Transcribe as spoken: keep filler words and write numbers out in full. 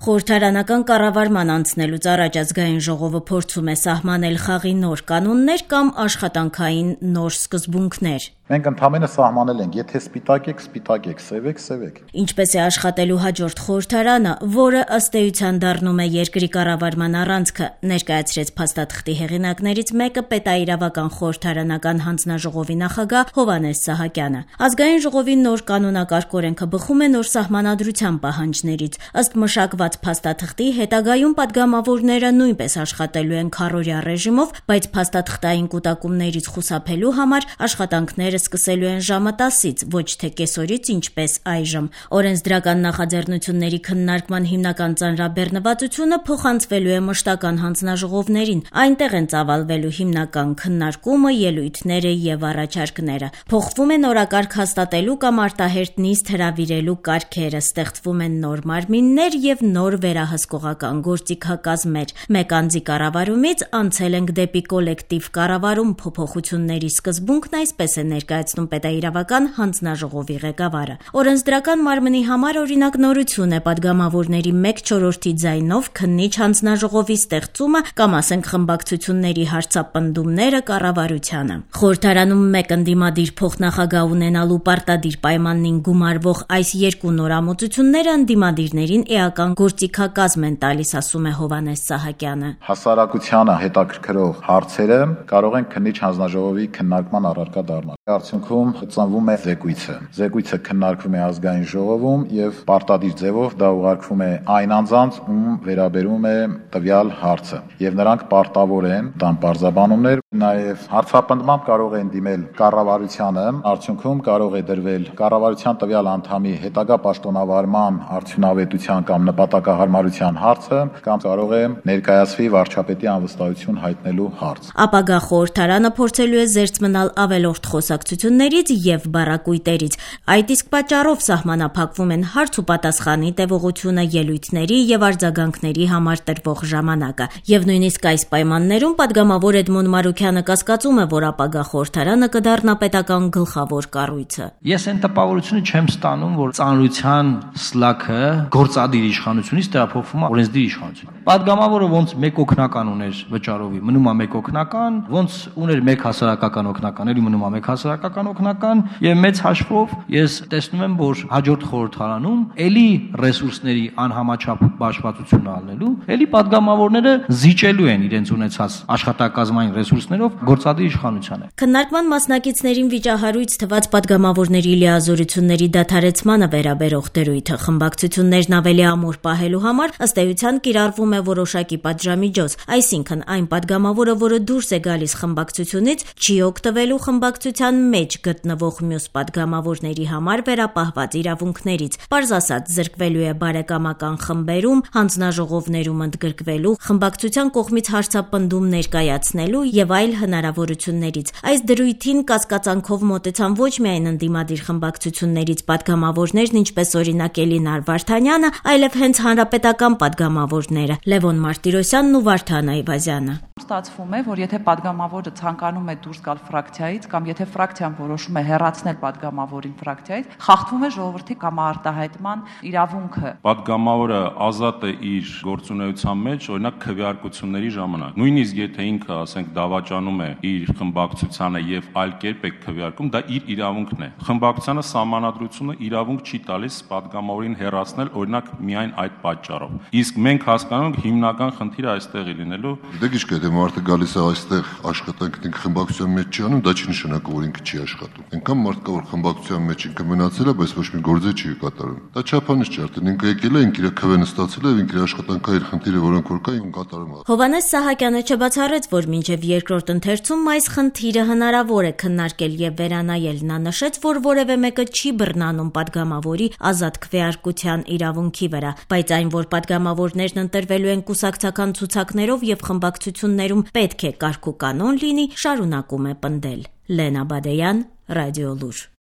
Խորհրդարանական կառավարման անցնելուց առաջ ազգային ժողովը փորձում է սահմանել խաղի նոր կանոններ կամ աշխատանքային նոր սկզբունքներ։ Մենք ընդհանրապես սահմանել ենք, եթե սպիտակ եք, սպիտակ եք, սև եք, սև եք։ Ինչպես է աշխատելու հաջորդ խորհրդարանը, որը ըստ էության դառնում է երկրի կառավարման առանցքը, ներկայացրեց փաստաթղթի հեղինակներից մեկը պետաիրավական խորհրդարանական հանձնաժողովի նախագահ Հովհաննես Սահակյանը։ Ազգային ժողովի նոր կանոնակարգ օրենքը բխում է նոր սահմանադրության պահանջներից։ Ըստ մշակված փաստաթղթի, հետագայում падգամավորները նույնպես աշխատելու են քառօրյա ռեժիմով, բայց փաստաթղթային կուտակումներից խուսափելու համար աշխատանքները սկսելու են ժամը տասից, ոչ թե կեսօրից, ինչպես այժմ։ Օրենսդրական նախաձեռնությունների քննարկման հիմնական ծանրաբեռնվածությունը փոխանցվելու է մշտական հանձնաժողովներին։ Այնտեղ են ծավալվելու հիմնական քննարկումը, ելույթները եւ առաջարկները։ Փոխվում է նորակարգ հաստատելու կամ արտահերտ նիստ հրավիրելու կարգերը, ստեղծվում են նոր մարմիններ եւ նոր վերահսկողական գործիքակազմեր։ Մեկ անձի կառավարումից անցել ենք դեպի կոլեկտիվ կառավարում, փոփոխությունների սկզբունքն այսպես է ներկայացնում պետաիրավական հանձնաժողովի ղեկավարը։ Օրենսդրական մարմնի համար օրինակ նորություն է падգամավորների մեկ չորրորդի ձայնով քննիչ հանձնաժողովի ստեղծումը կամ ասենք խմբակցությունների հարցապնդումները կառավարությանը։ Խորհրդարանում մեկ ընդդիմադիր փոխնախագահ ունենալու պարտադիր պայմանին գումարվող այս երկու նորամուծությունները ընդդիմադիրներին էական գործիքակազմ են տալիս, ասում է Հովհաննես Սահակյանը։ Հասարակությանը հետաքրքրող հարցերը կարող են քննիչ հանձնաժողովի քննարկման առարկա դառնալ։ Արդյունքում ծնվում է զեկույցը։ Զեկույցը քննարկվում է ազգային ժողովում եւ պարտադիր ձևով դա ուղարկվում է այն անձանց, ում վերաբերում է տվյալ հարցը, եւ նրանք պարտավոր են տան պարզաբանումներ, նաեւ հարցապնդմամբ կարող են դիմել կառավարությանը, արդյունքում կարող է դրվել կառավարության տվյալ անդամի հետագա պաշտոնավարման արդյունավետության կամ նպատակահարմարության հարցը, կամ կարող է ներկայացվի վարչապետի անվստահություն հայտնելու հարց։ Ապագա խորհրդարանը փորձելու է զերծ մնալ ավելորդ խոսակցություններից եւ բառակույտերից։ Այդ իսկ պատճառով սահմանափակվում են հարց ու պատասխանի տևողությունը, ելույթների եւ արձագանքների համար տրվող ժամանակը։ Եվ նույնիսկ այս պայմաններում падգամավոր Էդմոն Մարուքյանը կասկածում է, որ ապագա խորհրդարանը կդառնա պետական գլխավոր կառույցը։ Ես այն տպավորությունը չեմ ստանում, որ ծանրության սլաքը գործադիր իշխանությունից տեղափոխվում է օրենսդիր իշխանություն։ Падգամավորը ոնց մեկ օգնական ուներ վճարովի, մնում է մեկ օգնական, ոնց ուներ մեկ հասարակական օգնական, էլի մնում է մեկ հասարակական օգնական, եւ մեծ հաշվով ես տեսնում եմ, որ հաջորդ խորհրդարանում էլի ռեսուրսների անհամաչափ բաշխվածություն ալնելու, էլի падգամավորները զիջելու են իրենց ունեցած աշխատակազմային ռեսուրսներով գործադիր իշխանությանը։ Քննարկման մասնակիցներին վիճահարույց թված падգամավորների լիազորությունների դադարեցմանը վերաբերող դերույթը խմբակցություններն ավելի ամուր պահելու համար ըստ էության կիրառվում է որոշակի պատժամիջոց, այսինքն այն падգամավորը, որը դուրս է գալիս խմբակցությունից, չի օգտվելու խմբակցության մեջ գտնվող մյուս падգամավորների համար վերապահված իրավունքներից։ Պարզ ասած, զրկվելու է բարեկամական խմբերում, հանձնաժողովներում ընդգրկվելու, խմբակցության կողմից հարցապնդում ներկայացնելու եւ այլ հնարավորություններից։ Այս դրույթին կասկածանքով մոտեցան ոչ միայն ընդդիմադիր խմբակցություններից падգամավորներն, ինչպես օրինակ Էլինար Վարդանյանը, այլև հենց հանրապետական падգամավորները Լևոն Մարտիրոսյանն ու Վարդան Այվազյանը։ Ստացվում է, որ եթե падգամավորը ցանկանում է դուրս գալ ֆրակցիայից կամ եթե ֆրակցիան որոշում է հեռացնել падգամավորին ֆրակցիայից, խախտվում է ժողովրդի կամարտահայտման իրավունքը։ Падգամավորը ազատ է իր գործունեության մեջ, օրինակ քվեարկությունների ժամանակ։ Նույնիսկ եթե ինքը, ասենք, դավաճանում է իր խմբակցությանը եւ այլ կերպ է քվեարկում, դա իր իրավունքն է։ Խմբակցությանը սահմանադրությունը իրավունք չի տալիս падգամավորին հեռացնել, օրինակ, միայն այդ պատճառով։ Իսկ մենք հասկանում ենք հիմնական խնդիրը այստեղ է լինելու։ Դե գիշք է, դե մարդը գալիս է այստեղ աշխատանք ինքը խմբակցության մեջ չի անում, դա չի նշանակում, որ ինքը չի աշխատում։ Այնքան մարդ կա, որ խմբակցության մեջ ինքը մնացել է, բայց ոչ մի գործ չի կատարում։ Դա չափանիշ չէ, արդեն ինքը եկել է, ինքը իր քվեն ստացել է, ինքը իր աշխատանքային խնդիրը, որոնք որ կա, ինքը կատարում է։ Հովհաննես Սահակյանը չբացառեց, որ մինչև երկրորդ ընթերցում այս խնդիրը հնարավոր է քննարկել եւ վերանայել։ Նա նշեց, որ որևէ մեկը չի բռնանում падգամավորի ազատ քվեարկության իրավունքի վրա, բայց այն, որ падգամավորներն ընտրվելու են կուսակցական ցուցակներով եւ խմբակցություններում պետք է կարգ ու կանոն լինի, շարունակում է պնդել։ Լենա Բադեյան, Ռադիոլուր։